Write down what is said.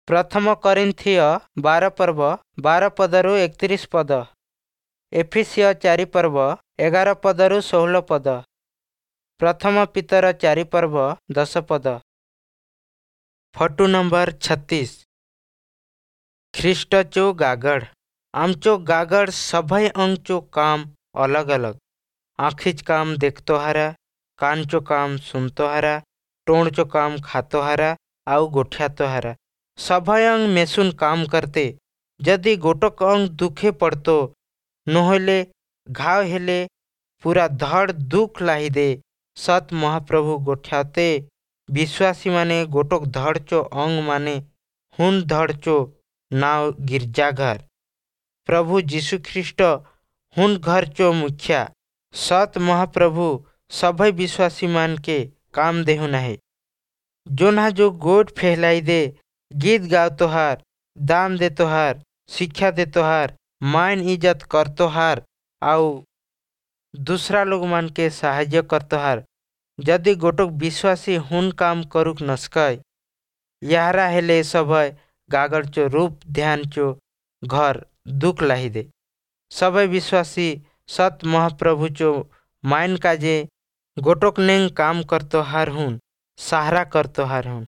ପ୍ରଥମ କରିନ୍ଥୀୟ 12 ପର୍ବ 12 ପଦରୁ 31 ପଦ। ଏଫିସୀୟ 4 ପର୍ବ 11 ପଦରୁ 16 ପଦ। ପ୍ରଥମ ପିତର 4 ପର୍ବ 10 ପଦ। Photo number 36। ଖ୍ରୀଷ୍ଟଚୋ ଗାଗଡ଼। आमचो गागड़ सभई अंगचो काम अलग अलग। आँखिच काम देखतो हारा, कानचो काम सुनतो हारा, टोणचो काम खातो हारा आउ गोठ्यातो हारा। सभई अंग मेसुन काम करते। ଯଦି ଗୋଟକ ଅଙ୍ଗ ଦୁଃଖେ ପଡ଼તો ନହେଲେ ଘାव ହେଲେ ପୁରା ଧଡ଼ ଦୁଃଖ ଲାହିଦେ। ସତ୍ ମହାପ୍ରଭୁ ଗୋଠ୍ୟାତେ ବିଶ୍ୱାସୀମାନେ ଗୋଟକ ଧଡ଼ଚୋ ଅଙ୍ଗ ମାନେ ହୁନ୍ ଧଡ଼ଚୋ ନାव गिरजाघर। ପ୍ରଭୁ ଯୀଶୁଖ୍ରୀଷ୍ଟ ହୁନ୍ ଘରଚୋ ମୁଖିଆ। ସତ୍ ମହାପ୍ରଭୁ ସଭଇ ବିଶ୍ୱାସୀମାନକେ काम देहु नाहे। जोन्हा जो गोठ फैलाई दे, गीत गावतोहार, दान देतोहार, शिक्षा देतोहार, मान इज्जत करतोहार आउ दूसरा लोग मान के साहाय्य करतोहार। ଯଦି ଗୋटक ବିଶ୍ୱାସୀ ହୁନ୍ काम करुक नसकय, याहरा हेले सभय गागड़चो रूप ध्यानचो घर दुख लाहिदे। सबै विश्वासी सत महाप्रभुचो माइन काजे गोटक नेंग काम करतोहार हुन, सहारा करतोहार हुन।